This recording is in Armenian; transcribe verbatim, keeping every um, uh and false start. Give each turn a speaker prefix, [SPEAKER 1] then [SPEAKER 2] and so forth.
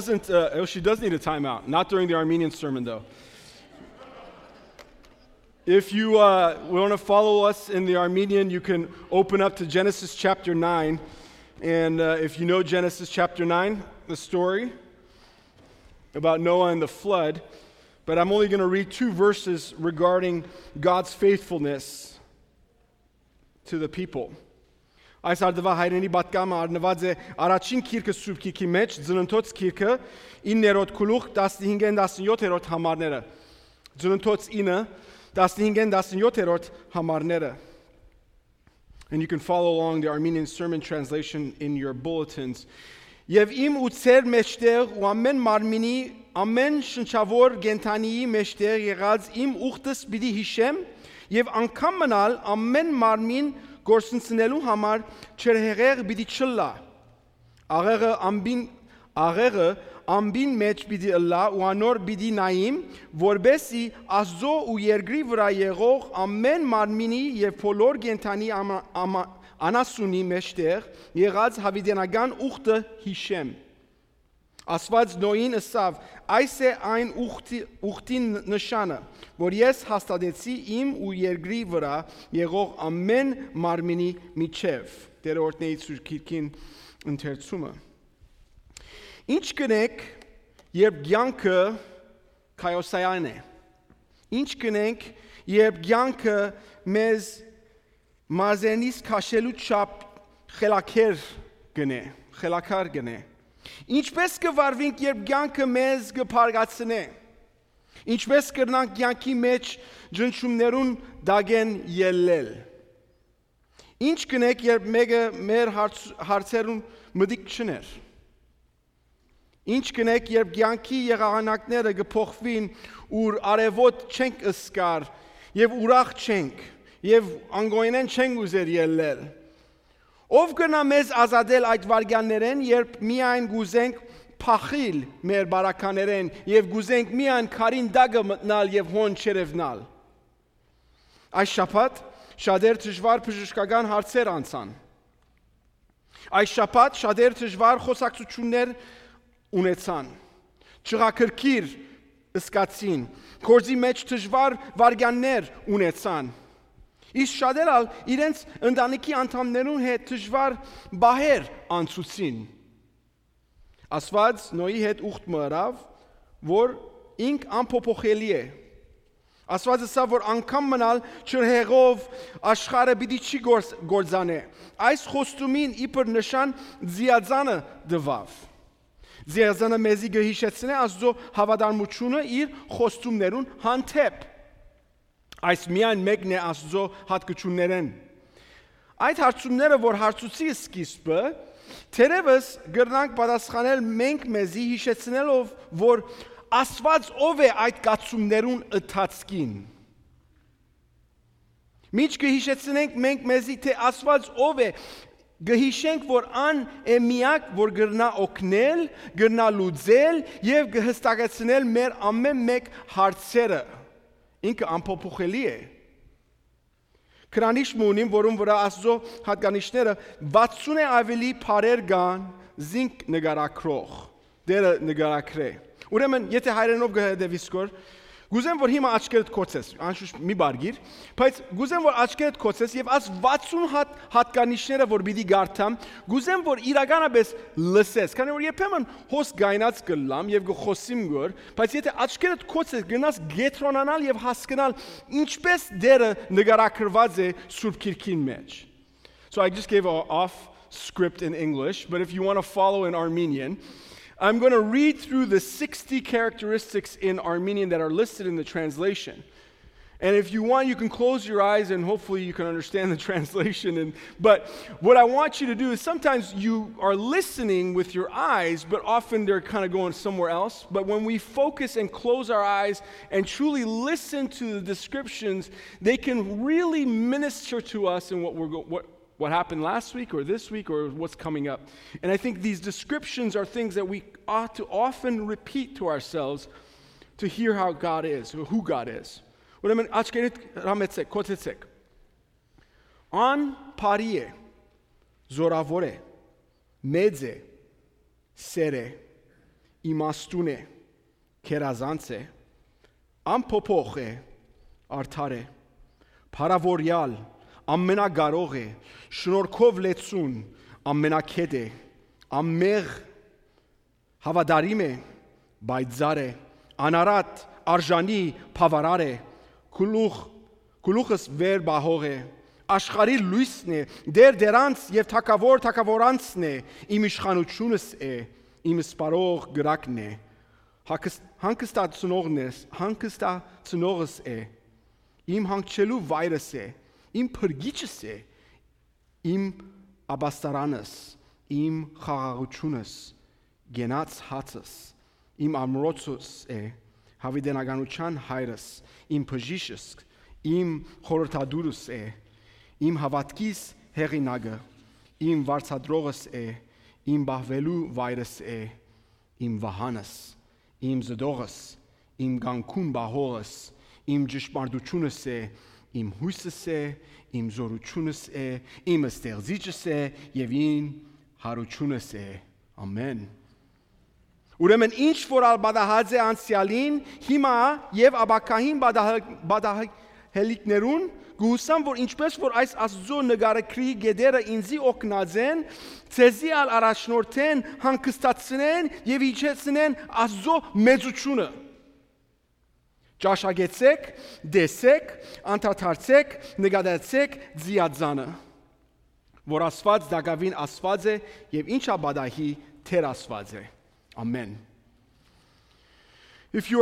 [SPEAKER 1] Doesn't, uh, oh, she does need a timeout. Not during the Armenian sermon, though. If you uh, want to follow us in the Armenian, you can open up to Genesis chapter nine. And uh, if you know Genesis chapter nine, the story about Noah and the flood, but I'm only going to read two verses regarding God's faithfulness to the people. Այս արդվա հայրենի պատկամը արնված է առաջին քիրքը Սուրբ Քիրքի մեջ, Ծննդոց քիրքը իններորդ գլուխ տասնհինգ տասնյոթերորդ համարները։ Ծննդոց ինը տասնհինգ տասնյոթերորդ համարները. And you can follow along the Armenian sermon translation in your bulletins. Եվ իմ ու ցեր մեջտեղ ու ամեն մարմինի ամեն շնչավոր գենթանիի մեջտեղ եղած իմ ուխտս պիտի հիշեմ եւ անգամ մնալ ամեն մարմին գործընծնելու համար չրհեղեղ պիտի չլա աղեղը ամբին աղեղը ամբին մեջ պիտի լա ու անոր պիտի նայիմ որբեսի Աստծո ու երկրի վրա եղող ամեն մարմինի եւ բոլոր գենթանի անասունի մեջտեղ եղած հավիտենական ուխտը հիշեմ Ասված Նոյին ըսավ այս է այն ուխտին նշանը որ ես հաստատեցի իմ ու երկրի վրա եղող ամեն մարմինի միջև Տերորդների Սուրբ Քիրքին ընթերցումը Ինչ կնենք երբ կյանքը քայոսային է Ինչ կնենք երբ կյանքը մեզ մարզենից քաշելու չափ խելաքեր գնե խելաքար գնե Ինչպես կվարվենք երբ կյանքը մեզ կփարգացնե Ինչպես կրնանք կյանքի մեջ ջնջումներուն դագեն ելնել Ինչ կնենք երբ մեկը մեր հարցերուն մտիկ չներ Ինչ կնենք երբ կյանքի եղանակները կփոխվին ուր արևոտ չենք ըսկար եւ ուրախ չենք եւ անգոյնեն չենք ուզեր ելնել Ով կնա մեզ ազատել այդ վարգյաններեն, երբ միայն գուզենք փախիլ մեր բարականերեն եւ գուզենք միայն քարին դագը մտնալ եւ հոն չերևնալ։ Այս շաբաթ շատեր դժվար բժշկական հարցեր անցան։ Այս շաբաթ շատեր դժվար խոսակցություններ ունեցան։ Չղակրկիր ըսկացին, կորզի մեջ դժվար վարգյաններ ունեցան։ Իսկ շատերը իրենց ընտանիքի անդամներուն հետ դժվար բահեր անցուցին։ Ասված Նոյի հետ ուխտ մռավ, որ ինք անփոփոխելի է։ Ասված ասա, որ անգամ մնալ չրհեղով աշխարհը պիտի չի գործանե։ Այս խոստումին իբր նշան ձիածանը դվավ։ Ձիածանը մեզի գհիշեցնե Աստծո հավատարմությունը իր խոստումներուն հանդեպ։ Այս միայն մեկն է Աստծո հատկություններեն։ Այդ հարցումները, որ հարցուցի սկիզբը, թերևս գրնանք պատասխանել մենք մեզի հիշեցնելով, որ Աստված ով է այդ կացումներուն ընթացքին։ Միջ կհիշեցնենք մենք մեզի, թե Աստված ով է, գհիշենք, որ ան է միակ, որ գրնա օգնել, գրնա լուծել եւ կհստակեցնել մեր ամեն մեկ հարցերը։ Ինքը անփոփոխելի է։ Քրանիշ մունին, որում վրա Աստծո հատկանիշները վաթսուն է ավելի բարեր կան զինք նկարակրող, դերը նկարակրե։ Ուրեմն, եթե հայրենով գհդեվիս կոր, գուզեմ, որ հիմա աչքերդ կոցես, անշուշտ մի բարգիր, բայց գուզեմ, որ աչքերդ կոցես և աս վաթսուն հատ հատկանիշները, որ բիդի գարթամ, գուզեմ, որ իրականապես լսես, քանի որ երբեմն հոս գայնած կլամ և գխոսիմ գոր, բայց եթե աչքերդ կոցես գնաս գետրոնանալ և հասկնալ ինչպես դերը նկարակրված է Սուրբ Քիրքին մեջ։ So I just gave an off script in English, but if you want to follow in Armenian, I'm going to read through the sixty characteristics in Armenian that are listed in the translation. And if you want, you can close your eyes and hopefully you can understand the translation. And, but what I want you to do is sometimes you are listening with your eyes, but often they're kind of going somewhere else. But when we focus and close our eyes and truly listen to the descriptions, they can really minister to us in what we're going what what happened last week or this week or what's coming up. And I think these descriptions are things that we ought to often repeat to ourselves to hear how God is, or who God is. Ուրեմն աչքերիդ հրամեցեք, կոչեցեք. Ան բարի է, զորավոր է, մեծ է, սեր է, իմաստուն է, քերազանց է, անփոփոխ է, արդար է, փարավորյալ, ամենագարող է, շնորհքով լեցուն, ամենակետ է, ամեղ, հավատարիմ է, բայձար է, անարատ, արժանի, բավարար է, գլուխ, գլուխս վեր բահող է, աշխարհի լույսն է, դեր դերանց եւ թակավոր թակավորանցն է, իմ իշխանությունս է, իմ սպարող գրակն է, հանգստացնողնես, հանգստացնողս է, իմ հանգչելու վայրս է, իմ փրկիչս է, իմ աբաստարանս, իմ խաղաղությունս, գենաց հացս, իմ ամրոցս է, հավիտենականության հայրս, իմ բժիշկս, իմ խորհրդադուրս է, իմ հավատքիս հեղինակը, իմ վարձատրողս է, իմ բահվելու վայրս է, իմ վահանս, իմ զդողս, իմ գանքուն բահողս, իմ ճշմարտությունս է, իմ հույսս է, իմ զորությունս է, իմ ստեղծիչս է եւ իմ հարությունս է։ Ամեն։ Ուրեմն ինչ որ ալբադահած է անցյալին, հիմա եւ աբակահին բադահելիկներուն գուսամ, որ ինչպես որ այս Աստծո նկարագրի գեդերը ինձի օգնած են, ցեզի ալ առաջնորդեն, հանգստացնեն եւ իջեցնեն Աստծո մեծությունը։ Ճաշակեցեք, դեսեք, անդադարցեք, նկատեցեք ձիածանը, որ Աստված դակավին Աստված է եւ ինչա բադահի թեր Աստված է։ Amen. If you